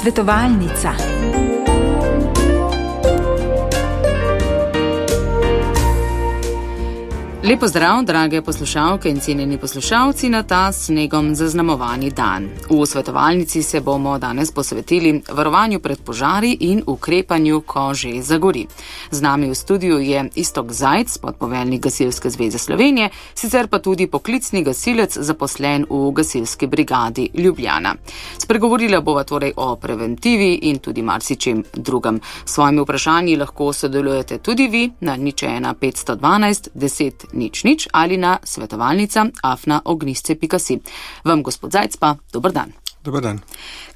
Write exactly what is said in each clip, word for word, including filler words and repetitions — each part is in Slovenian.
Svetovalnica. Lepo zdrav, drage poslušalke in cenjeni poslušalci na ta snegom zaznamovani dan. V svetovalnici se bomo danes posvetili varovanju pred požari in ukrepanju, ko že zagori. Z nami v studiu je Iztok Zajc, podpoveljnik Gasilske zveze Slovenije, sicer pa tudi poklicni gasilec zaposlen v Gasilski brigadi Ljubljana. Spregovorila bova torej o preventivi in tudi marsičem drugem. S svojimi vprašanji lahko sodelujete tudi vi na nič ena petsto dvanajst deset nič nič ali na svetovalnica afna ognjišče pika si. Vam, gospod Zajc, pa dober dan. Dober dan.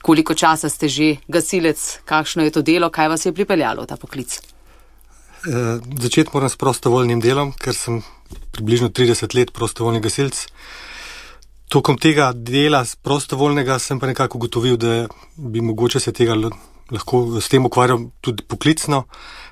Koliko časa ste že gasilec, kakšno je to delo, kaj vas je pripeljalo v ta poklic? E, začeti moram s prostovoljnim delom, ker sem približno trideset let prostovoljni gasilc. Tokom tega dela prostovoljnega sem pa nekako ugotovil, da bi mogoče se tega lahko s tem ukvarjal tudi poklicno,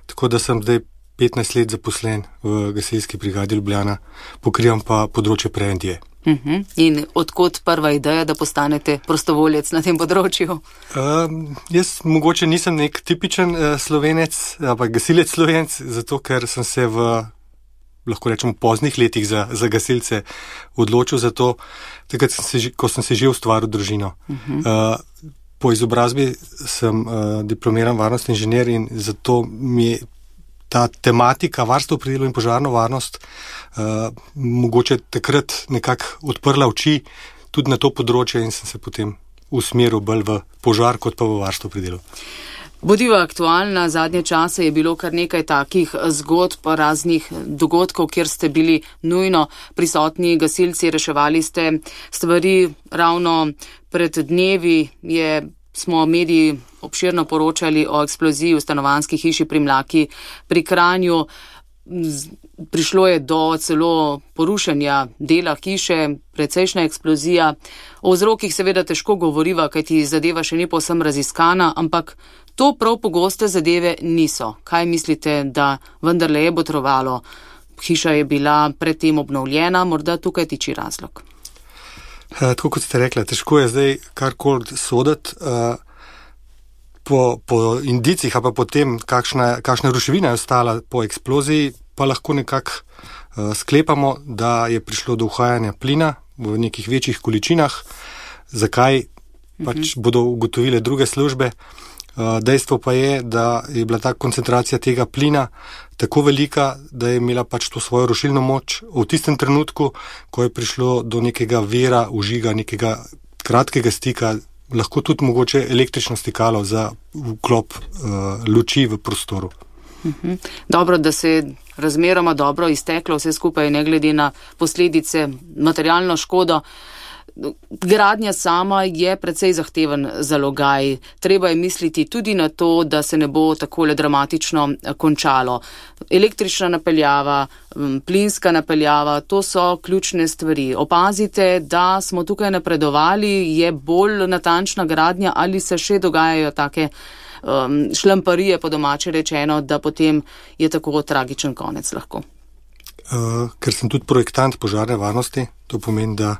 tako da sem zdaj petnajst let zaposlen v Gasilski brigadi Ljubljana, pokrivam pa področje preventive. Uh-huh. In odkot prva ideja, da postanete prostovoljec na tem področju? Uh, jaz mogoče nisem nek tipičen uh, slovenec, ampak gasilec slovenec, zato ker sem se v, lahko rečemo, poznih letih za, za gasilce odločil za to, takrat, sem se, ko sem se že ustvaril družino. Uh-huh. Uh, po izobrazbi sem uh, diplomiran varnostni inženir in zato mi je ta tematika varstva pri delu in požarno varnost uh, mogoče takrat nekako odprla oči tudi na to področje in sem se potem usmeril bolj v požar kot pa v varstvo pri delu. Bodiva aktualna, zadnje čase je bilo kar nekaj takih zgodb, raznih dogodkov, kjer ste bili nujno prisotni gasilci, reševali ste stvari. Ravno pred dnevi je smo mediji obširno poročali o eksploziji v stanovanjski hiši pri Mlaki pri Kranju. Prišlo je do celo porušenja dela hiše, precejšnja eksplozija. O vzrokih seveda težko govoriva, kajti zadeva še ni povsem raziskana, ampak to prav pogoste zadeve niso. Kaj mislite, da vendarle je botrovalo? Hiša je bila predtem obnovljena, morda tukaj tiči razlog. Tako kot ste rekli, težko je zdaj karkoli soditi. Po, po indicih, a pa potem, kakšna, kakšna ruševina je ostala po eksploziji, pa lahko nekako uh, sklepamo, da je prišlo do uhajanja plina v nekih večjih količinah. Zakaj pač uh-huh. bodo ugotovile druge službe. Uh, dejstvo pa je, da je bila ta koncentracija tega plina tako velika, da je imela pač to svojo rušilno moč v tistem trenutku, ko je prišlo do nekega vira, užiga, nekega kratkega stika, lahko tudi mogoče električno stikalo za vklop uh, luči v prostoru. Uh-huh. Dobro, da se je razmeroma dobro izteklo vse skupaj, ne glede na posledice, materialno škodo. Gradnja sama je precej zahteven zalogaj. Treba je misliti tudi na to, da se ne bo takole dramatično končalo. Električna napeljava, plinska napeljava, to so ključne stvari. Opazite, da smo tukaj napredovali, je bolj natančna gradnja ali se še dogajajo take um, šlamparije, po domače rečeno, da potem je tako tragičen konec lahko. Uh, ker sem tudi projektant požarne varnosti, to pomeni, da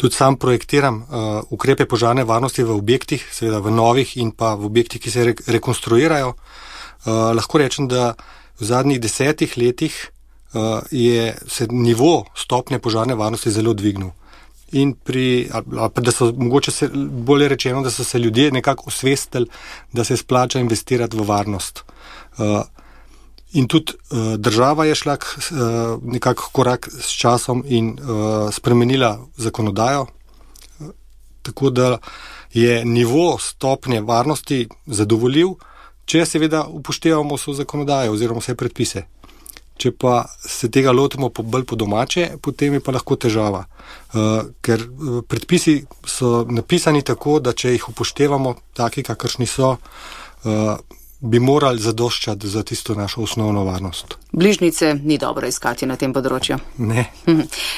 tudi sam projektiram uh, ukrepe požarne varnosti v objektih, seveda v novih in pa v objektih, ki se re- rekonstruirajo. Uh, lahko rečem, da v zadnjih desetih letih uh, je se nivo stopnje požarne varnosti zelo dvignil. In pri, ali, ali da so mogoče se, bolje rečeno, da so se ljudje nekako osvestili, da se splača investirati v varnost. Uh, In tudi uh, država je šla uh, nekako korak s časom in uh, spremenila zakonodajo, uh, tako da je nivo stopnje varnosti zadovoljiv, če seveda upoštevamo vso zakonodajo oziroma vse predpise. Če pa se tega lotimo po, bolj po domače, potem je pa lahko težava, uh, ker uh, predpisi so napisani tako, da če jih upoštevamo taki, kakršni so, uh, bi morali zadoščati za tisto našo osnovno varnost. Bližnjice ni dobro iskati na tem področju. Ne.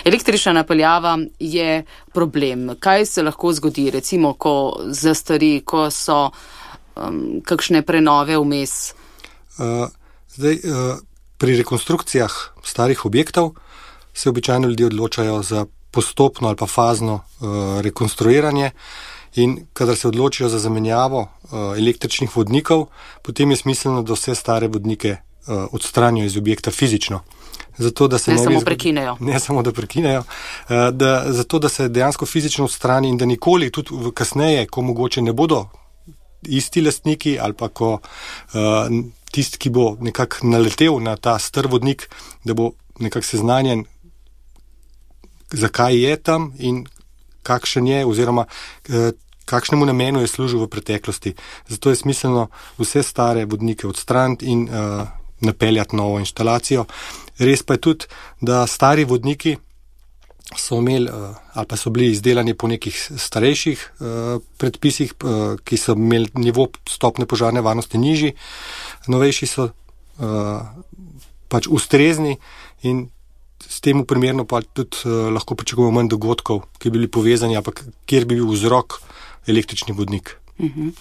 Električna napeljava je problem. Kaj se lahko zgodi, recimo, ko zastari, ko so um, kakšne prenove vmes? Uh, zdaj, uh, pri rekonstrukcijah starih objektov se običajno ljudje odločajo za postopno ali pa fazno uh, rekonstruiranje In kadar se odločijo za zamenjavo uh, električnih vodnikov, potem je smiselno, da vse stare vodnike uh, odstranijo iz objekta fizično. Zato, da se ne, ne samo zgodi, prekinejo. Ne samo da prekinejo, uh, da, zato da se dejansko fizično odstrani in da nikoli, tudi kasneje, ko mogoče ne bodo isti lastniki ali pa ko uh, tisti, ki bo nekako naletel na ta star vodnik, da bo nekako seznanjen, zakaj je tam in kakšen je oziroma uh, kakšnemu namenu je služil v preteklosti. Zato je smiselno vse stare vodnike odstraniti in uh, napeljati novo inštalacijo. Res pa je tudi, da stari vodniki so imeli uh, ali pa so bili izdelani po nekih starejših uh, predpisih, uh, ki so imeli nivo stopne požarne varnosti nižji. Novejši so uh, pač ustrezni in s tem primerno pa tudi uh, lahko pričakujemo manj dogodkov, ki bi bili povezani, ampak kjer bi bil vzrok električni vodnik. Uh-huh.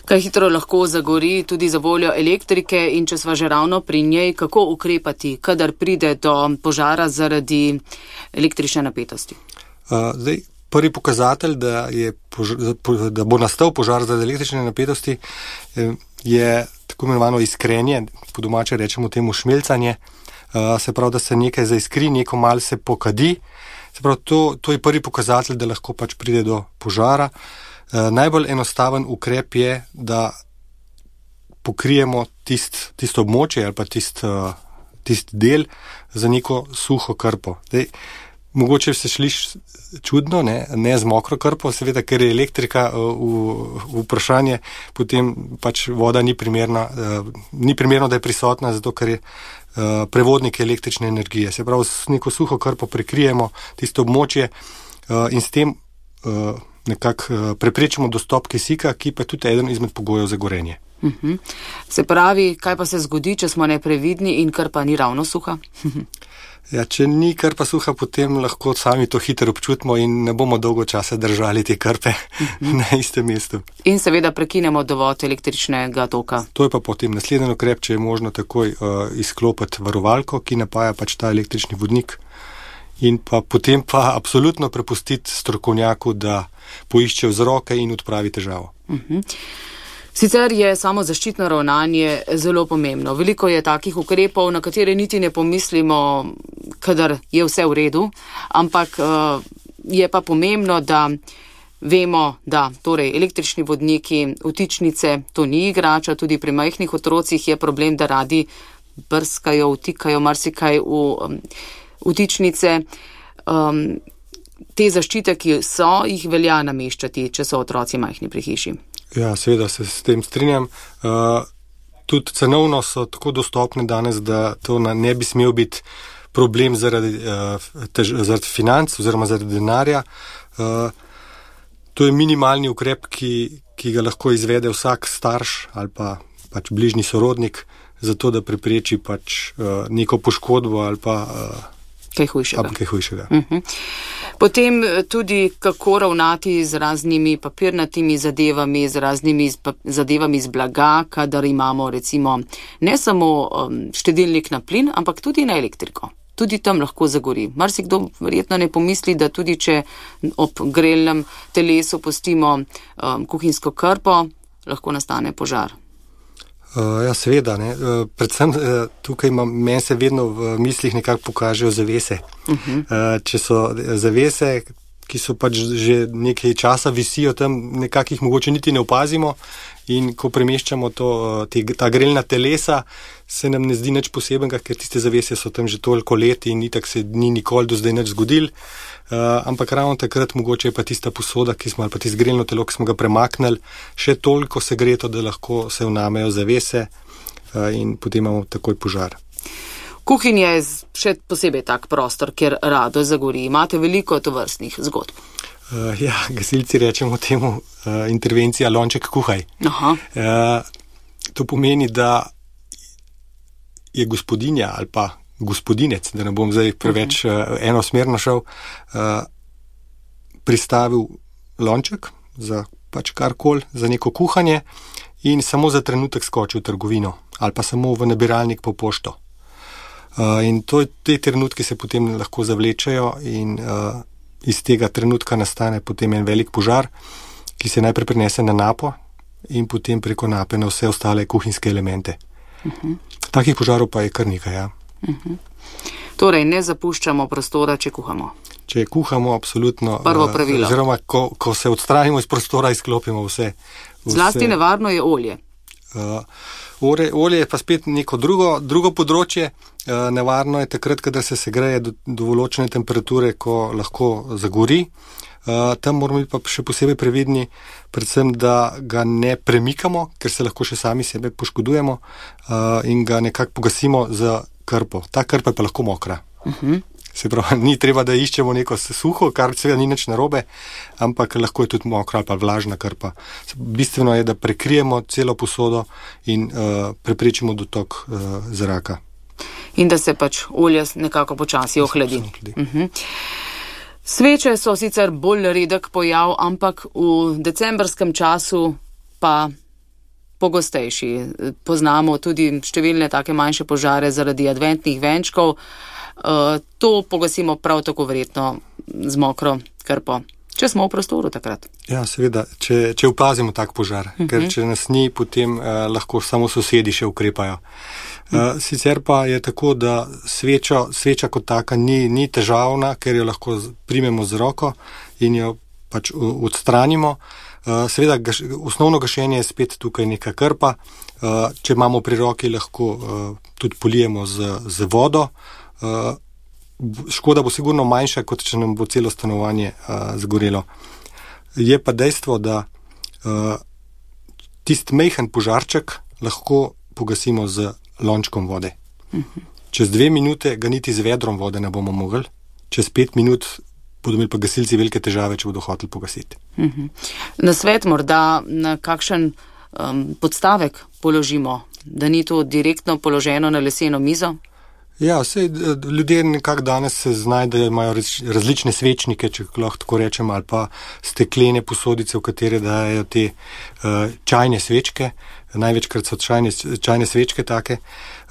Kaj hitro lahko zagori tudi za voljo elektrike in če sva že ravno pri njej, kako ukrepati, kadar pride do požara zaradi električne napetosti? Uh, zdaj, prvi pokazatelj, da, je požar, da bo nastal požar zaradi električne napetosti, je tako imenovano iskrenje, po domače rečemo temu šmelcanje, uh, se pravi, da se nekaj zaiskri, neko malo se pokadi. Se pravi, to, to je prvi pokazatelj, da lahko pač pride do požara. Uh, najbolj enostaven ukrep je, da pokrijemo tist, tisto območje ali pa tist, uh, tist del za neko suho krpo. Dej, mogoče se šliš čudno, ne, ne z mokro krpo, seveda, ker je elektrika uh, v, v vprašanje, potem pač voda ni primerna, uh, ni primerno, da je prisotna, zato ker je uh, prevodnik električne energije. Se pravi, s neko suho krpo prekrijemo tisto območje uh, in s tem uh, nekako preprečimo dostop kisika, ki pa je tudi eden izmed pogojev za gorenje. Uh-huh. Se pravi, kaj pa se zgodi, če smo neprevidni in krpa ni ravno suha? Ja, če ni krpa suha, potem lahko sami to hitro občutimo in ne bomo dolgo časa držali te krpe uh-huh. na istem mestu. In seveda prekinemo dovod električnega toka. To je pa potem naslednji ukrep, če je možno takoj uh, izklopiti varovalko, ki napaja pač ta električni vodnik. In pa potem pa absolutno prepustiti strokovnjaku, da poišče vzroke in odpravi težavo. Uh-huh. Sicer je samo zaščitno ravnanje zelo pomembno. Veliko je takih ukrepov, na katere niti ne pomislimo, kadar je vse v redu, ampak uh, je pa pomembno, da vemo, da torej električni vodniki, vtičnice, to ni igrača, tudi pri majhnih otrocih je problem, da radi brskajo, vtikajo marsikaj v um, vtičnice. Um, te zaščite, ki so, jih velja nameščati, če so otroci majhni pri hiši. Ja, seveda se s tem strinjam. Uh, tudi cenovno so tako dostopne danes, da to ne bi smel biti problem zaradi, uh, tež, zaradi financ oziroma zaradi denarja. Uh, to je minimalni ukrep, ki, ki ga lahko izvede vsak starš ali pa pač bližnji sorodnik, zato da prepreči pač uh, neko poškodbo ali pa uh, kaj hujšega. Kaj hujšega. Uh-huh. Potem tudi, kako ravnati z raznimi papirnatimi zadevami, z raznimi zadevami z blaga, kadar imamo recimo ne samo um, štedilnik na plin, ampak tudi na elektriko. Tudi tam lahko zagori. Marsikdo verjetno ne pomisli, da tudi če ob grelnem telesu pustimo um, kuhinjsko krpo, lahko nastane požar. Uh, ja, seveda, ne. Uh, predvsem uh, tukaj imam, meni se vedno v mislih nekako pokažejo zavese. Uh-huh. Uh, če so zavese, ki so pač že nekaj časa visijo tam, nekako jih mogoče niti ne opazimo in ko premeščamo to, te, ta grelna telesa, se nam ne zdi nič posebenega, ker tiste zavese so tam že toliko let in itak se ni nikoli do zdaj nič zgodil. Uh, ampak ravno takrat mogoče je pa tista posoda, ki smo, ali pa tisto grelno telo, ki smo ga premaknili, še toliko segreto, da lahko se vnamejo zavese uh, in potem imamo takoj požar. Kuhinja je še posebej tak prostor, kjer rado zagori. Imate veliko tovrstnih zgodb. Uh, ja, gasilci rečemo temu uh, intervencija lonček kuhaj. Aha. Uh, to pomeni, da je gospodinja ali pa gospodinec, da ne bom zdaj preveč uh, enosmerno šel, uh, pristavil lonček za pač karkoli, za neko kuhanje in samo za trenutek skočil v trgovino ali pa samo v nabiralnik po pošto. Uh, in to, te trenutke se potem lahko zavlečajo in uh, iz tega trenutka nastane potem en velik požar. ki se najprej prenese na napo in potem preko nape na vse ostale kuhinjske elemente. Uh-huh. Takih požarov pa je kar nekaj, ja. Uh-huh. Torej, ne zapuščamo prostora, če kuhamo. Če kuhamo, absolutno. Prvo pravilo. Oziroma, ko, ko se odstranimo iz prostora, izklopimo vse. vse. Zlasti nevarno je olje. Uh, ore, olje je pa spet neko drugo, drugo področje. Uh, nevarno je takrat, kadar se segreje do določene temperature, ko lahko zagori. Uh, tam moramo biti pa še posebej previdni, predvsem, da ga ne premikamo, ker se lahko še sami sebe poškodujemo uh, in ga nekako pogasimo z krpo. Ta krpa je pa lahko mokra. Uh-huh. Se pravi, ni treba, da iščemo neko suho, kar seveda ni nič narobe, ampak lahko je tudi mokra ali pa vlažna krpa. Bistveno je, da prekrijemo celo posodo in uh, preprečimo dotok uh, zraka. In da se pač olje nekako počasi ohladi. Uh-huh. Sveče so sicer bolj redek pojav, ampak v decembrskem času pa pogostejši. Poznamo tudi številne take manjše požare zaradi adventnih venčkov. Uh, to pogasimo prav tako verjetno z mokro krpo. Če smo v prostoru takrat. Ja, seveda, če, če opazimo tak požar, uh-huh. ker če nas ni, potem uh, lahko samo sosedi še ukrepajo. Uh, sicer pa je tako, da sveča, sveča kot taka ni, ni težavna, ker jo lahko primemo z roko in jo pač odstranimo. Uh, seveda, gaš, osnovno gašenje je spet tukaj neka krpa. Uh, če imamo pri roki, lahko uh, tudi polijemo z, z vodo. Uh, škoda bo sigurno manjša, kot če nam bo celo stanovanje uh, zgorelo. Je pa dejstvo, da uh, tisti majhen požarček lahko pogasimo z lončkom vode. Uh-huh. Čez dve minute ga niti z vedrom vode ne bomo mogli, čez pet minut bodo imeli pa gasilci velike težave, če bodo hoteli pogasiti. Uh-huh. Na svet morda na kakšen um, podstavek položimo, da ni to direktno položeno na leseno mizo? Ja, vse ljudje nekako danes se znajdejo, imajo različne svečnike, če lahko tako rečem, ali pa steklene posodice, v katere dajo te uh, čajne svečke. Največkrat so čajne, čajne svečke take.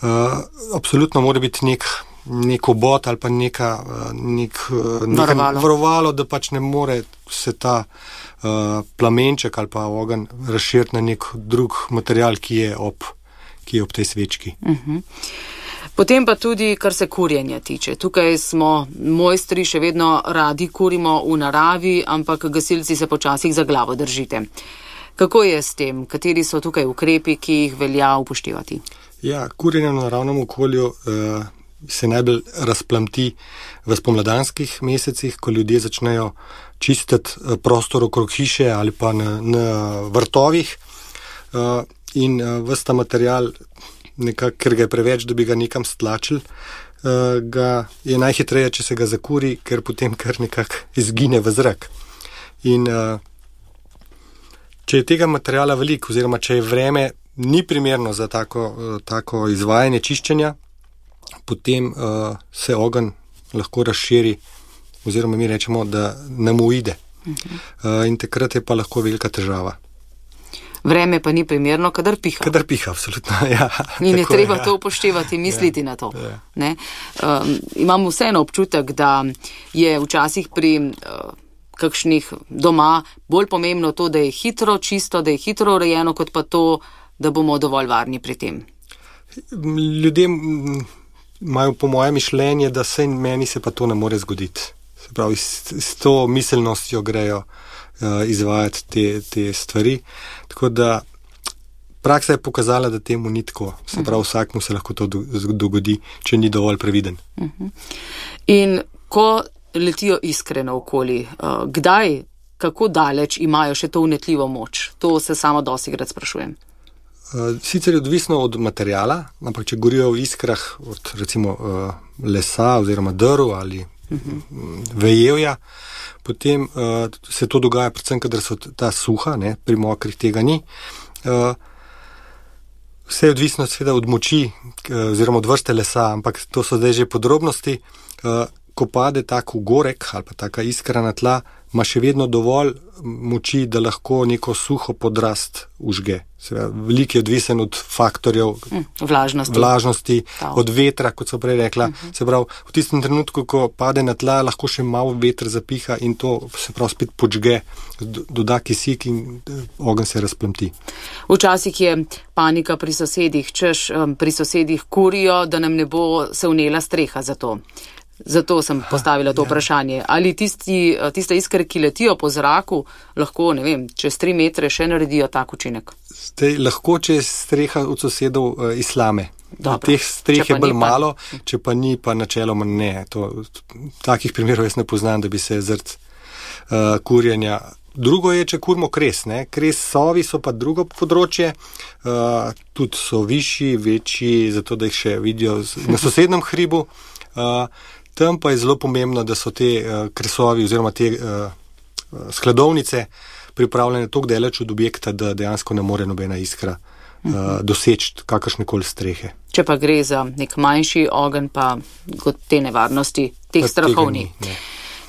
Uh, absolutno mora biti nek, nek obot ali pa neka, uh, nek, uh, neka varovalo, da pač ne more se ta uh, plamenček ali pa ogenj razširiti na nek drug material, ki je ob, ki je ob tej svečki. Uh-huh. Potem pa tudi, kar se kurjenja tiče. Tukaj smo mojstri, še vedno radi kurimo v naravi, ampak gasilci se počasih za glavo držite. Kako je s tem? Kateri so tukaj ukrepi, ki jih velja upoštevati? Ja, kurjenje v naravnem okolju uh, se najbolj razplamti v spomladanskih mesecih, ko ljudje začnejo čistiti prostor okrog hiše ali pa na, na vrtovih uh, in uh, ves ta material, nekak, ker ga je preveč, da bi ga nekam stlačili, uh, ga je najhitreje, če se ga zakuri, ker potem kar nekak izgine v zrak. In uh, če je tega materijala veliko, oziroma če je vreme ni primerno za tako, uh, tako izvajanje čiščenja, potem uh, se ogenj lahko razširi, oziroma mi rečemo, da nam uide. Uh-huh. Uh, in takrat je pa lahko velika težava. Vreme pa ni primerno, kadar piha. Kadar piha, absolutno, ja. In je treba je, ja. to upoštevati, misliti ja, na to. Ja. Ne? Um, imam vseeno občutek, da je včasih pri uh, kakšnih doma bolj pomembno to, da je hitro čisto, da je hitro urejeno, kot pa to, da bomo dovolj varni pri tem. Ljudje imajo po moje mišljenje, da se meni se pa to ne more zgoditi. Se pravi, s, s to miselnostjo grejo izvajati te, te stvari. Tako da praksa je pokazala, da temu ni tako. Se pravi, vsakmu se lahko to dogodi, če ni dovolj previden. Uh-huh. In ko letijo iskre naokoli, kdaj, kako daleč imajo še to vnetljivo moč? To se samo dosikrat sprašujem. Sicer je odvisno od materijala, ampak če gorijo v iskrah od recimo lesa oziroma drv ali uh-huh. vejevja, potem uh, se to dogaja predvsem, kadar so ta suha, ne, pri mokrih tega ni. Uh, vse je odvisno seveda od moči uh, oziroma od vrste lesa, ampak to so zdaj že podrobnosti. Uh, ko pade tak ugorek ali pa taka iskra na tla, ima še vedno dovolj moči, da lahko neko suho podrast užge. Veliko je odvisen od faktorjev mm, vlažnosti, vlažnosti od vetra, kot so prej rekla. Uh-huh. Se pravi, v tistem trenutku, ko pade na tla, lahko še malo veter zapiha in to se pravi spet počge, doda kisik in ogenj se razplamti. Včasih je panika pri sosedih, češ pri sosedih kurijo, da nam ne bo se vnela streha za to. Zato sem postavila to vprašanje. Ali tisti, tiste iskre, ki letijo po zraku, lahko, ne vem, čez tri metre še naredijo tak učinek? Zdaj, lahko, če je streha od sosedov uh, islame. Dobro. Teh streh je bolj pa... malo, če pa ni, pa načeloma ne. To, takih primerov jaz ne poznam, da bi se zrt uh, kurjenja. Drugo je, če kurmo kres. Ne? Kres sovi so pa drugo področje, uh, tudi so višji, večji, zato da jih še vidijo na sosednem hribu. Uh, Tam pa je zelo pomembno, da so te uh, kresovi oziroma te uh, skladovnice pripravljene toliko daleč od objekta, da dejansko ne more nobena iskra uh, doseči kakršnekoli strehe. Če pa gre za nek manjši ogenj, pa kot te nevarnosti, teh strahovni.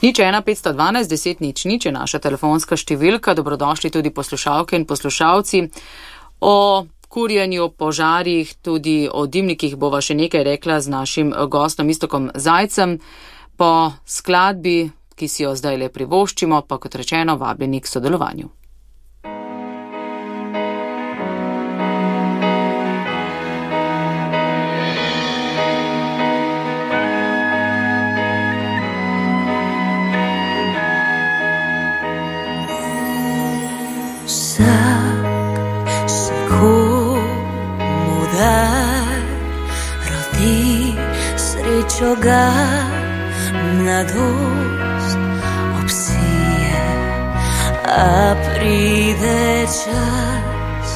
Nič ena petsto dvanajst deset nič nič je naša telefonska številka. Dobrodošli tudi poslušalke in poslušalci. O kurjenju, požarih, tudi o dimnikih bova še nekaj rekla z našim gostom Iztokom Zajcem. Po skladbi, ki si jo zdaj le privoščimo, pa kot rečeno vabljeni k sodelovanju. Srečo ga mladost obsije, a pride čas,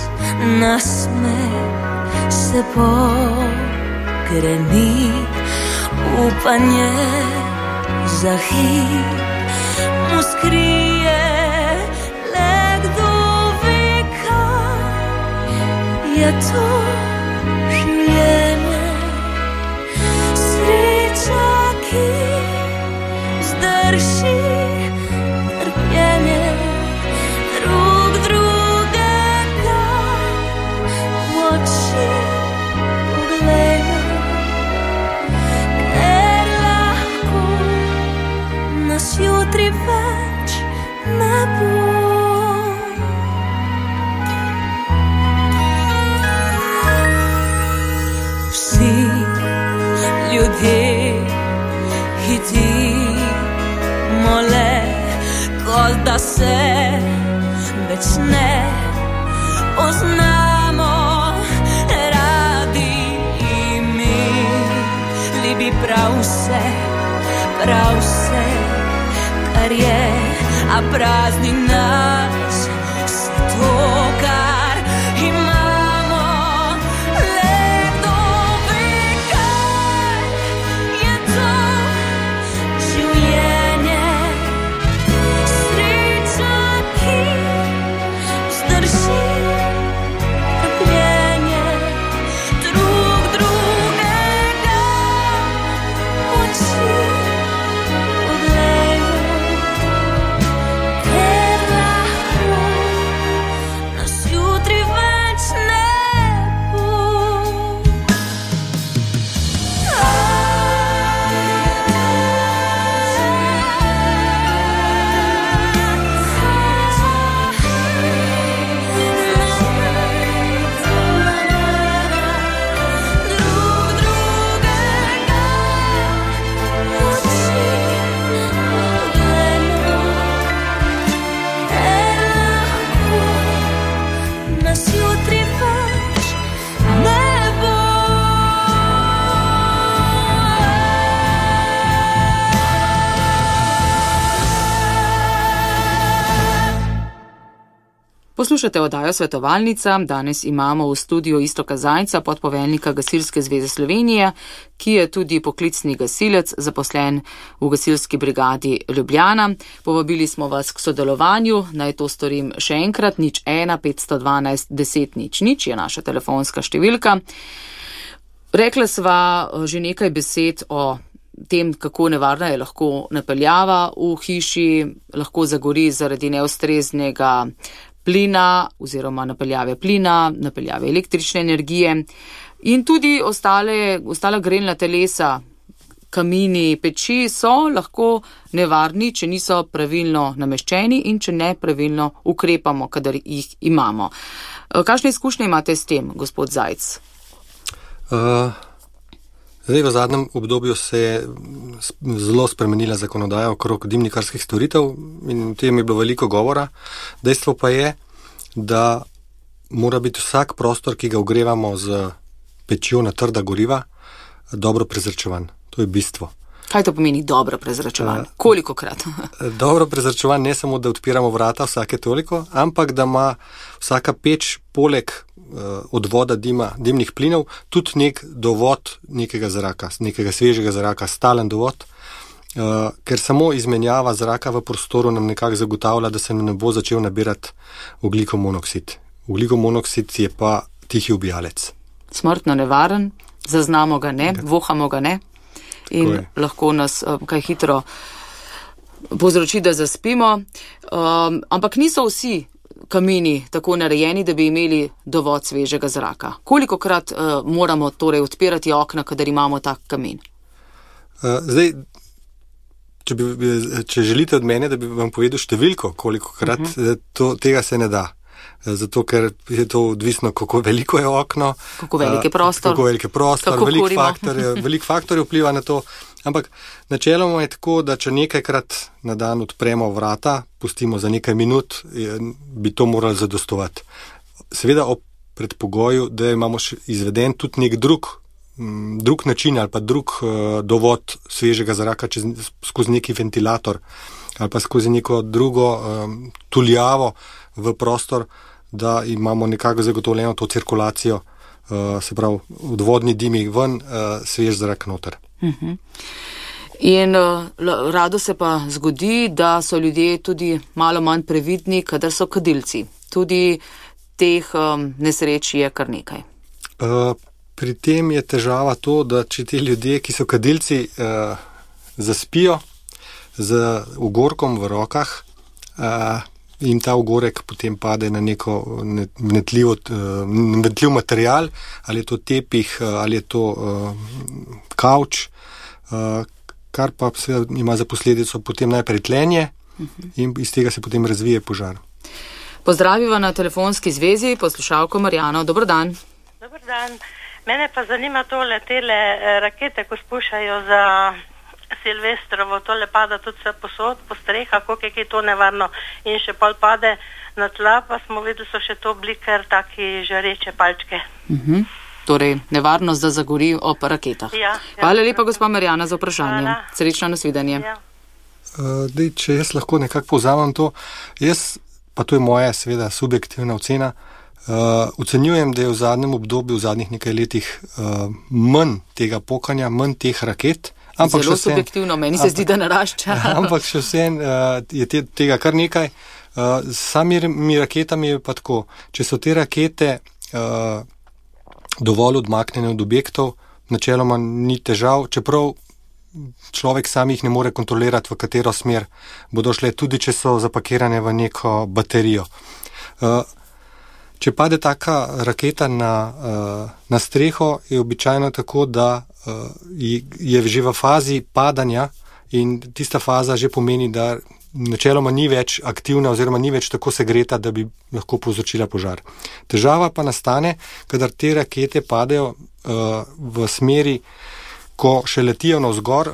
nasmeh se pogreni, upanje za hip mu skrije, le kdo ve, kaj je to življenje. Zdrži trpljenje, drug drugega v oči poglejmo, ker lahko nas jutri več ne bo. Vsi ljudje mole, kot da se več ne poznamo, radi imeli bi prav vse, prav vse, kar je, a prazni nas vse to, kar imamo. Le kdo ve, kaj je to življenje. Poslušate oddajo Svetovalnica. Danes imamo v studiu Iztoka Zajca, podpoveljnika Gasilske zveze Slovenije, ki je tudi poklicni gasilec, zaposlen v Gasilski brigadi Ljubljana. Povabili smo vas k sodelovanju, naj to storim še enkrat. Nič ena petsto dvanajst deset nič nič je naša telefonska številka. Rekla sva že nekaj besed o tem, kako nevarna je lahko napeljava v hiši, lahko zagori zaradi neustreznega plina oziroma napeljave plina, napeljave električne energije in tudi ostale, ostala grelna telesa, kamini, peči so lahko nevarni, če niso pravilno nameščeni in če ne pravilno ukrepamo, kadar jih imamo. Kakšne izkušnje imate s tem, gospod Zajc? Uh, zdaj v zadnjem obdobju se je zelo spremenila zakonodaja okrog dimnikarskih storitev in o tem je bilo veliko govora. Dejstvo pa je, da mora biti vsak prostor, ki ga ogrevamo z pečjo na trda goriva, dobro prezračevan. To je bistvo. Kaj to pomeni dobro prezračevan? Kolikokrat? Dobro prezračevan ne samo, da odpiramo vrata vsake toliko, ampak da ima vsaka peč poleg uh, odvoda dima, dimnih plinov tudi nek dovod nekega zraka, nekega svežega zraka, stalen dovod, uh, ker samo izmenjava zraka v prostoru nam nekako zagotavlja, da se ne bo začel nabirati ogljikov monoksid. Ogljikov monoksid je pa tihi ubijalec. Smrtno nevaren, zaznamo ga ne, vohamo ga ne. In lahko nas um, kaj hitro povzroči, da zaspimo. Um, ampak niso vsi kamini tako narejeni, da bi imeli dovod svežega zraka. Kolikokrat uh, moramo torej odpirati okna, kadar imamo tak kamin? Uh, zdaj, če, bi, če želite od mene, da bi vam povedal številko, kolikokrat, uh -huh. to, tega se ne da. Zato, ker je to odvisno, kako veliko je okno, kako velik je prostor, kako velik je prostor, veliko faktorjev, velik faktorjev vpliva na to. Ampak načeloma je tako, da če nekajkrat na dan odpremo vrata, pustimo za nekaj minut, bi to morali zadostovati. Seveda ob predpogoju, da imamo izveden tudi nek drug, drug način ali pa drug dovod svežega zraka čez, skozi neki ventilator ali pa skozi neko drugo um, tuljavo v prostor, da imamo nekako zagotovljeno to cirkulacijo, uh, se pravi, odvodni dimi ven, uh, svež zrak noter. Uh-huh. In uh, rado se pa zgodi, da so ljudje tudi malo manj previdni, kadar so kadilci. Tudi teh um, nesreč je kar nekaj. Uh, pri tem je težava to, da če ti ljudje, ki so kadilci, uh, zaspijo z ugorkom v rokah, uh, in ta ugorek potem pade na neko vnetljiv, vnetljiv material, ali je to tepih, ali je to uh, kavč, uh, kar pa ima za posledico potem najprej tlenje uh-huh. in iz tega se potem razvije požar. Pozdraviva na telefonski zvezi poslušalko Marjano. Dobar dan. Dobar dan. Mene pa zanima tole, tele rakete, ko spušajo za Silvestrovo, tole pada tudi vse posod, po strehah, koliko je to nevarno in še pol pade na tla, pa smo videli, so še to bili kar taki žareče palčke. Uh-huh. Torej, nevarnost, da zagori ob raketah. Ja, Hvala ja, lepa, gospa Marjana, za vprašanje. Hvala. Srečno nasvidenje. Ja. Uh, dej, če jaz lahko nekako povzamem to, jaz, pa to je moja seveda subjektivna ocena, uh, ocenjujem, da je v zadnjem obdobju, v zadnjih nekaj letih uh, manj tega pokanja, manj teh raket. Ampak Zelo subjektivno, meni se zdi, da narašča. Ampak še vsem uh, je te, tega kar nekaj. Uh, sami mi raketami je pa tako, če so te rakete uh, dovolj odmaknjene od objektov, načeloma ni težav, čeprav človek sam jih ne more kontrolirati, v katero smer bodo šle, tudi če so zapakirane v neko baterijo. Uh, če pade taka raketa na, uh, na streho, je običajno tako, da uh, je že v fazi padanja in tista faza že pomeni, da načeloma ni več aktivna oziroma ni več tako segreta, da bi lahko povzročila požar. Težava pa nastane, kadar te rakete padejo uh, v smeri, ko še letijo navzgor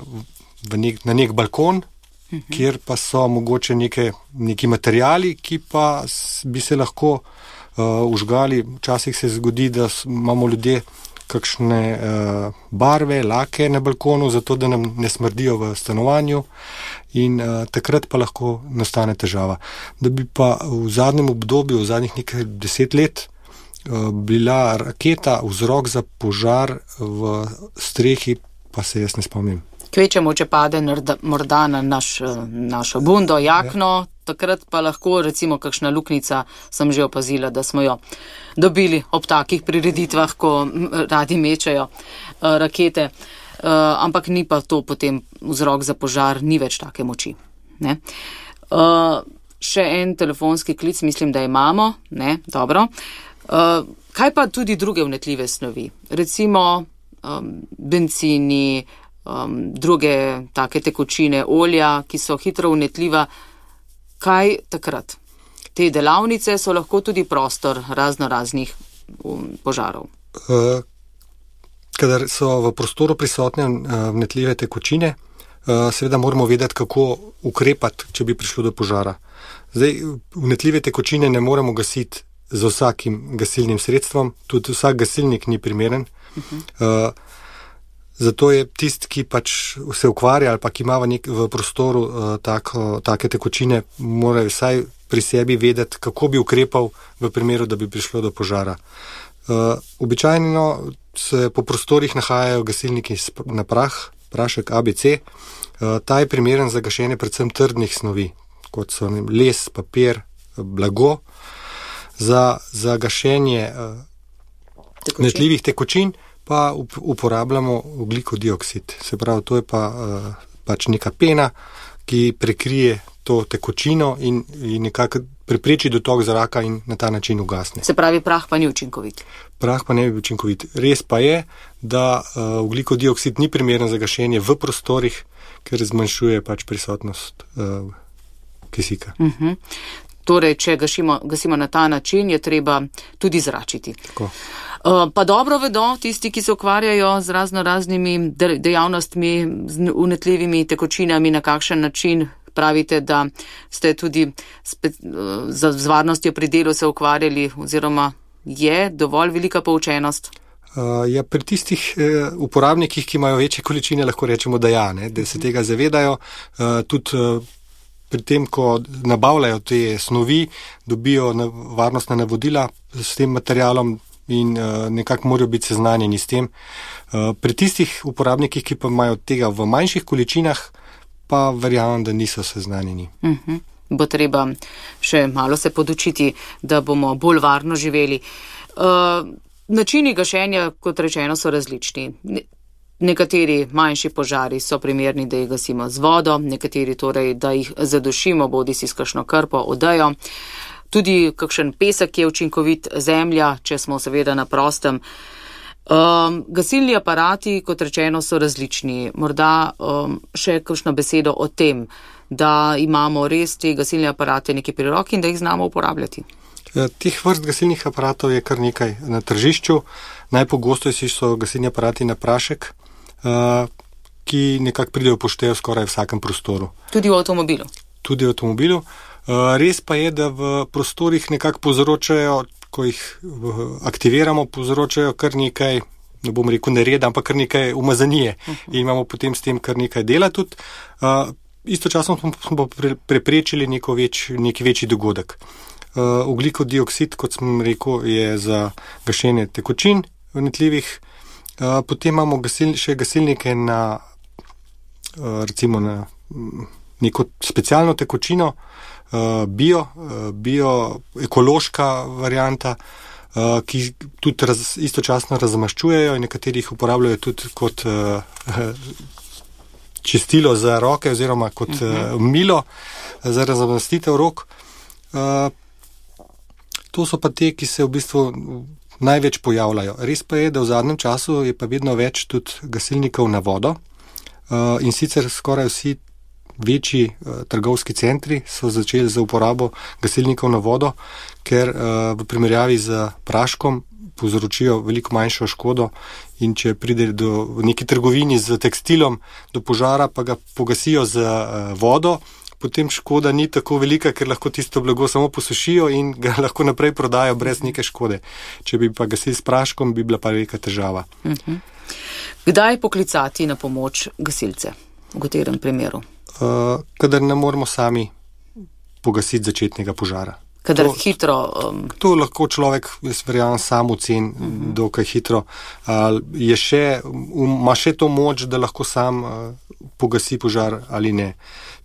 v nek, na nek balkon, uh-huh. kjer pa so mogoče neke, neki materijali, ki pa bi se lahko uh, užgali. Včasih se zgodi, da imamo ljudje kakšne uh, barve, lake na balkonu, zato da nam ne smrdijo v stanovanju in uh, takrat pa lahko nastane težava. Da bi pa v zadnjem obdobju, v zadnjih nekaj deset let, uh, bila raketa vzrok za požar v strehi, pa se jaz ne spomnim. Kvečemo, če pade morda na naš, našo bundo, jakno, ja. Takrat pa lahko recimo kakšna luknica, sem že opazila, da smo jo dobili ob takih prireditvah, ko radi mečajo rakete. ampak ni pa to potem vzrok za požar, ni več take moči. Ne? Uh, še en telefonski klic, mislim, da imamo. Ne? Dobro. Uh, kaj pa tudi druge vnetljive snovi? Recimo um, bencini, um, druge take tekočine, olja, ki so hitro vnetljiva. Kaj takrat? Te delavnice so lahko tudi prostor razno raznih um, požarov. Uh, kadar so v prostoru prisotne uh, vnetljive tekočine, uh, seveda moramo vedeti, kako ukrepati, če bi prišlo do požara. Zdaj, vnetljive tekočine ne moremo gasiti z vsakim gasilnim sredstvom, tudi vsak gasilnik ni primeren. Uh-huh. Uh, zato je tisti, ki pač se ukvarja ali pa ki ima v, nek, v prostoru uh, tako, take tekočine, mora vsaj pri sebi vedeti, kako bi ukrepal v primeru, da bi prišlo do požara. Uh, običajno se po prostorih nahajajo gasilniki na prah, prašek A B C. Uh, ta je primeren za gašenje predvsem trdnih snovi, kot so les, papir, blago. Za, za gašenje uh, vnetljivih tekočin pa up, uporabljamo ogljikov dioksid. Se pravi, to je pa uh, pač neka pena, ki prekrije to tekočino in, in nekako prepreči dotok zraka in na ta način ugasne. Se pravi, prah pa ni učinkovit. Prah pa ne bi učinkovit. Res pa je, da uh, ogljikov dioksid ni primeren za gašenje v prostorih, ker zmanjšuje pač prisotnost uh, kisika. Uh-huh. Torej, če gašimo, gasimo na ta način, je treba tudi zračiti. Tako. Uh, pa dobro vedo tisti, ki se ukvarjajo z razno raznimi dejavnostmi, z vnetljivimi tekočinami, na kakšen način pravite, da ste tudi spe, uh, z, z varnostjo pri delu se ukvarjali, oziroma je dovolj velika poučenost? Uh, ja, pri tistih uh, uporabnikih, ki imajo večje količine, lahko rečemo, da ja, ne, da se tega zavedajo, uh, tudi uh, pri tem, ko nabavljajo te snovi, dobijo varnostna navodila s tem materialom in uh, nekako morajo biti seznanjeni s tem. Uh, pri tistih uporabnikih, ki pa imajo tega v manjših količinah, pa verjamem, da niso seznanjeni. Uh-huh. Bo treba še malo se podučiti, da bomo bolj varno živeli. Uh, načini gašenja, kot rečeno, so različni. Nekateri manjši požari so primerni, da jih gasimo z vodo, nekateri torej, da jih zadušimo, bodi si s kakšno krpo, odejo. Tudi kakšen pesek je učinkovit, zemlja, če smo seveda na prostem. Um, gasilni aparati, kot rečeno, so različni. Morda um, še kakšno besedo o tem, da imamo res te gasilne aparate nekje pri roki in da jih znamo uporabljati. Teh vrst gasilnih aparatov je kar nekaj na tržišču. Najpogostejši so gasilni aparati na prašek, Uh, ki nekako pridejo poštejo skoraj v vsakem prostoru. Tudi v avtomobilu? Tudi v avtomobilu. Uh, res pa je, da v prostorih nekako povzročajo, ko jih aktiviramo, povzročajo kar nekaj, ne bom rekel nereda, ampak kar nekaj umazanije. Uh-huh. In imamo potem s tem kar nekaj dela tudi. Uh, istočasno smo pre, preprečili neko več, neki večji dogodek. Uh, ogljikov dioksid, kot sem rekel, je za gašenje tekočin vnetljivih. Uh, potem imamo gasil, še gasilnike na, uh, recimo na neko specialno tekočino, uh, bio, uh, bio ekološka varianta, uh, ki tudi raz, istočasno razmaščujejo in nekateri jih uporabljajo tudi kot uh, čistilo za roke oziroma kot uh, milo za razmastitev rok. Uh, to so pa te, ki se v bistvu največ pojavljajo. Res pa je, da v zadnjem času je pa vedno več tudi gasilnikov na vodo uh, in sicer skoraj vsi večji uh, trgovski centri so začeli za uporabo gasilnikov na vodo, ker uh, v primerjavi z praškom povzročijo veliko manjšo škodo in če pride do v neki trgovini z tekstilom do požara, pa ga pogasijo z uh, vodo, potem škoda ni tako velika, ker lahko tisto blago samo posušijo in ga lahko naprej prodajo brez neke škode. Če bi pa gasili s praškom, bi bila pa velika težava. Uh-huh. Kdaj poklicati na pomoč gasilce? V katerem primeru? Uh, kadar ne moremo sami pogasiti začetnega požara. Kadar to, hitro... Um... To lahko človek, jaz verjamem, sam ocen, uh-huh. dokaj hitro. Uh, je še, um, ima še to moč, da lahko sam uh, pogasi požar ali ne.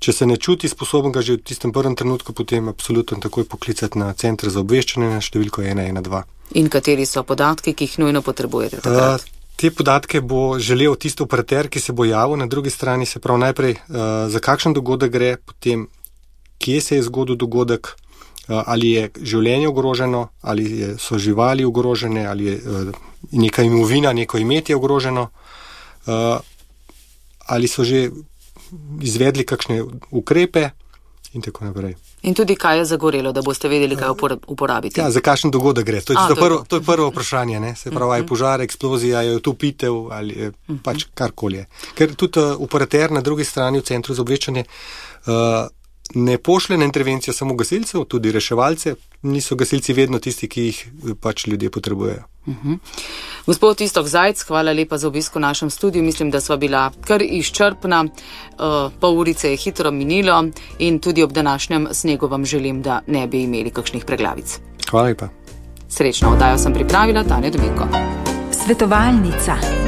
Če se ne čuti sposoben ga že v tistem prvem trenutku, potem absolutno takoj poklicati na center za obveščanje na številko ena ena dva. In kateri so podatki, ki jih nujno potrebujete takrat? Uh, Te podatke bo želel tisti operater, ki se bo javil, na drugi strani se prav najprej, uh, za kakšen dogodek gre, potem kje se je zgodil dogodek, uh, ali je življenje ogroženo, ali je, so živali ogrožene, ali je uh, neka imovina, neko imetje ogroženo, uh, ali so že izvedli kakšne ukrepe in tako naprej. In tudi kaj je zagorelo, da boste vedeli, kaj uporabiti. Ja, za kakšen dogodek gre. To je, A, to prvo, to je prvo vprašanje. Ne? Se pravi, je požar, eksplozija, je topitev ali je pač karkoli. Ker tudi uh, operater na drugi strani v centru za obveščanje uh, ne pošle na intervencijo samo gasilcev, tudi reševalce. Niso gasilci vedno tisti, ki jih pač ljudje potrebujejo. Uh-huh. Gospod Iztok Zajc, hvala lepa za obisk v našem studiu. Mislim, da sva bila kar izčrpna. Uh, pol urice je hitro minilo in tudi ob današnjem snegu vam želim, da ne bi imeli kakšnih preglavic. Hvala lepa. Srečno oddajo sem pripravila, Tanja Dominko. Svetovalnica.